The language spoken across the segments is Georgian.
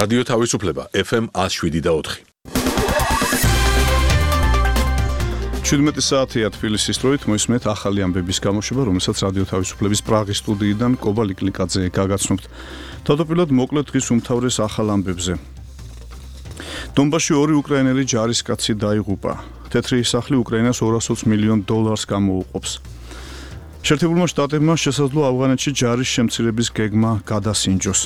რადიო თავისუფლება FM 107.4. 17 საათია თბილისის დროით მოისმენთ ახალი ამბების გამოშვება, რომელსაც რადიო თავისუფლების პრაღის სტუდიიდან კობა ლიკლიკაძე გაგაცნობთ. თავდაპირველად მოკლედ დღის უმთავრეს ახალ ამბებზე. დონბასში 2 უკრაინელი ჯარისკაცი დაიღუპა. თეთრი სახლი უკრაინას $220 მილიონ გამოუყოფს. შეერთებულმა შტატებმა შესაძლოა ავღანეთში ჯარის შემცირების გეგმა გადასინჯოს.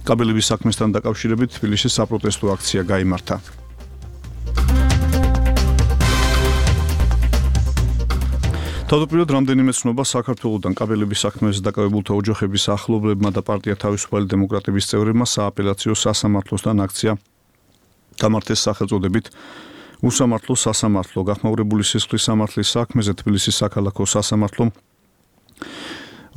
კაბელების საქმესთან დაკავშირებით თბილისში საპროტესტო აქცია გაიმართა. თავდაპირველად რამდენიმე ცნობა საქართველოსთან კაბელების საქმეზე დაკავებულთა ოჯახების ახლობლებმა და პარტია თავისუფალი დემოკრატების წევრებმა სააპელაციო სასამართლოსთან აქცია გამართეს სახელწოდებით უსამართლო სასამართლო. გახმაურებული სისხლის სამართლის საქმეზე თბილისის საქალაქო სასამართლომ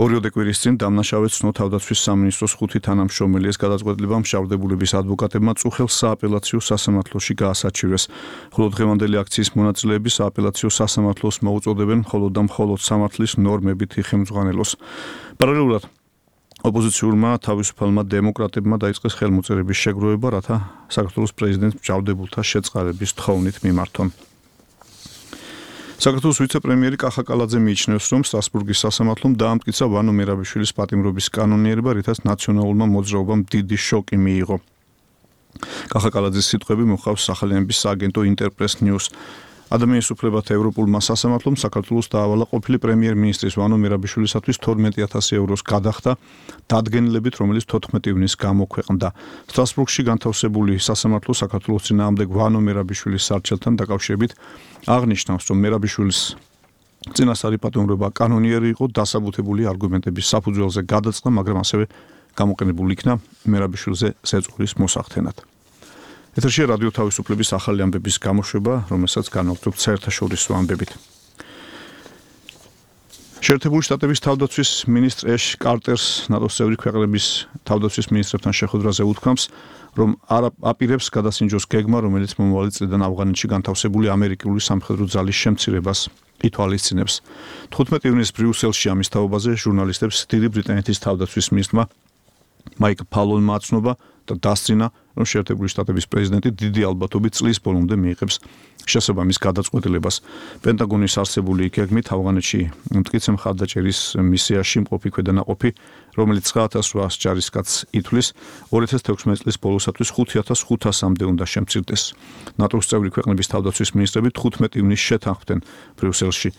ორიოდე კვირის წინ დამნაშავედ ცნო თავდაცვის სამინისტროს 5 თანამშრომელის გადაწყვეტილებამ შავდებულების ადვოკატებმა წუხელს სააპელაციო სასამართლოში გაასაჩივრეს. ხოლო დღევანდელი აქციის მონაწილეები სააპელაციო სასამართლოს მოუწოდებენ მხოლოდ და მხოლოდ სამართლის ნორმებით იხელმძღვანელოს. პარალელურად ოპოზიციურმა თავისუფალმა დემოკრატებმა დაიწყეს ხელმოწერების შეგროვება, რათა საქართველოს პრეზიდენტს მჟავდებულთა შეწყარების თხოვნით მიმართონ. საქართველოს ვიცე-პრემიერი კახა კალაძე მიიჩნევს, რომ სტრასბურგის სასამართლომ დაამტკიცა ვანო მერაბიშვილის პატიმრობის კანონიერება, რითაც ნაციონალურმა მოძრაობამ დიდი შოკი მიიღო. კახა კალაძის სიტყვები მოჰყავს სახელიანების სააგენტო ინტერპრეს ნიუს. ადამიანის უფლებათა ევროპულმა სასამართლომ საქართველოს დაავალა ყოფილი პრემიერ-მინისტრის ვანო მერაბიშვილისათვის 12,000 ევროს გადახდა დადგენილებით, რომელიც 14 ივნისს გამოქვეყნდა. სტრასბურგში განთავსებული სასამართლო საქართველოს წინააღმდეგ ვანო მერაბიშვილის სარჩელთან დაკავშირებით აღნიშნავს, რომ მერაბიშვილის წინასწარი პატიმრობა კანონიერი იყო, დასაბუთებული არგუმენტების საფუძველზე გადაწყდა, მაგრამ ასევე გამოყენებული იქნა მერაბიშვილზე ზეწოლის მოსახდენად. ეთერშია რადიო თავისუფლების ახალი ამბების გამოშვება, რომელსაც განვაგრძობთ საერთაშორისო ამბებით. შეერთებული შტატების თავდაცვის მინისტრ ეშ კარტერს ნატოს წევრი ქვეყნების თავდაცვის მინისტრებთან შეხვედრაზე უთქვამს, რომ არ აპირებს გადასინჯოს გეგმა, რომელიც მომავალი წლიდან ავღანეთში განთავსებული ამერიკული სამხედრო ძალის შემცირებას ითვალისწინებს. 15 ივნისს ბრიუსელში ამის თაობაზე ჟურნალისტებს დიდი ბრიტანეთის თავდაცვის მინისტრმა მაიკ ფალონმა აცნობა და დასძინა, რომ შეერთებული შტატების პრეზიდენტი დიდი ალბათობით წლის ბოლომდე მიიღებს შესაბამის გადაწყვეტილებას. პენტაგონის არსებული გეგმით ავღანეთში მტკიცე მხარდაჭერის მისიაში მყოფი ქვედანაყოფი, რომელიც 9,800 ჯარისკაცს ითვლის, 2016 წლის ბოლოსათვის 5,500-მდე უნდა შემცირდეს. ნატოს წევრი ქვეყნების თავდაცვის მინისტრები 15 ივნისს შეთანხმდნენ ბრიუსელში,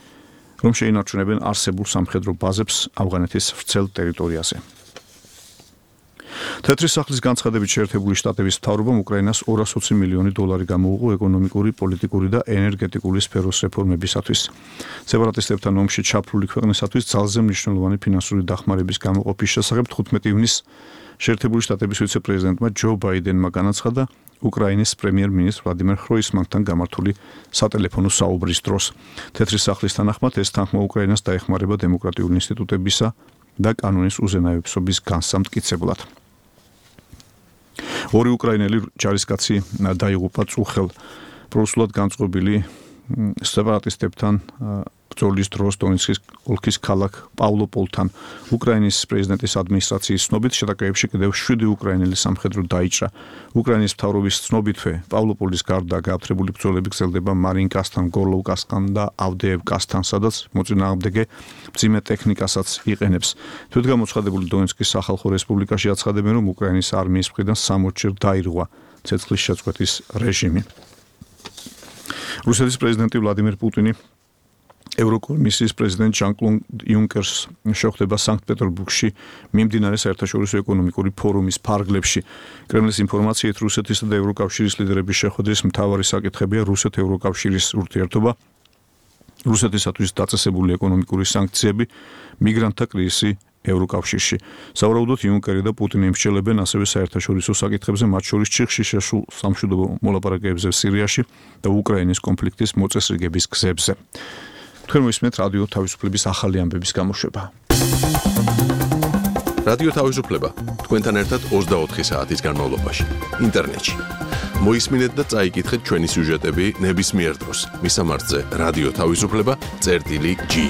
რომ შეინარჩუნებენ არსებულ სამხედრო ბაზებს ავღანეთის ვრცელ ტერიტორიაზე. თეთრი სახლის განცხადებით შეერთებული შტატების მთავრობამ უკრაინას $220 მილიონი გამოუყო ეკონომიკური, პოლიტიკური და ენერგეტიკული სფეროს რეფორმებისათვის. სეპარატისტებთან ომში ჩაფლული ქვეყნისათვის ძალზე მნიშვნელოვანი ფინანსური დახმარების გამოყოფის შესახებ 15 ივნისს შეერთებული შტატების ვიცე-პრეზიდენტმა ჯო ბაიდენმა განაცხადა უკრაინის პრემიერ-მინისტრ ვლადიმერ ხროისმანთან გამართული სატელეფონო საუბრის დროს. თეთრი სახლის თანახმად ეს თანხმა უკრაინას დაეხმარება დემოკრატიული ინსტიტუტებისა და კანონის უზენაებისობის განსამტკიცებლად. 2 უკრაინელი ჯარისკაცი დაიღუპა წუხელ პროსულად განწყობილი სეპარატისტებთან ბრძოლის დროს დონეცკის ოლქის ქალაქ პავლოპოლთან. უკრაინის პრეზიდენტის ადმინისტრაციის ცნობით შეტაკებებში კიდევ 7 უკრაინელი სამხედრო დაიჭრა. უკრაინის მთავრობის ცნობითვე პავლოპოლის გარდა გააფთრებული ბრძოლები გრძელდება მარინკასთან, გორლოვკასთან და ავდეევკასთან, სადაც მოწინააღმდეგე მძიმე ტექნიკასაც იყენებს. თვითგამოცხადებული დონეცკის სახალხო რესპუბლიკაში აცხადებენ, რომ უკრაინის არმიის მხრიდან 60-ჯერ დაირღვა ცეცხლის შეწყვეტის რეჟიმი. რუსეთის პრეზიდენტი ვლადიმერ პუტინი ევროკომისიის პრეზიდენტ ჟან-კლოდ იუნკერს შეხვდება სანქტ-პეტერბურგში მიმდინარე საერთაშორისო ეკონომიკური ფორუმის ფარგლებში. კრემლის ინფორმაციით რუსეთისა და ევროკავშირის ლიდერების შეხვედრის მთავარი საკითხებია რუსეთ-ევროკავშირის ურთიერთობა, რუსეთისათვის დაწესებული ეკონომიკური სანქციები, მიგრანტთა კრიზისი ევროკავშირში. სავარაუდოდ იუნკერი და პუტინი იმსჯელებენ ასევე საერთაშორისო საკითხებზე, მათ შორის ჩიხში შესულ სამშვიდობო მოლაპარაკებებზე სირიაში და უკრაინის კონფლიქტის მოწესრიგების გზებზე. თქვენ მოისმენთ რადიო თავისუფლების ახალი ამბების გამოშვება. რადიო თავისუფლება თქვენთან ერთად 24 საათის განმავლობაში ინტერნეტში. მოისმინეთ და წაიკითხეთ ჩვენი სიუჟეტები ნებისმიერ დროს. მისამართზე რადიო თავისუფლება.gi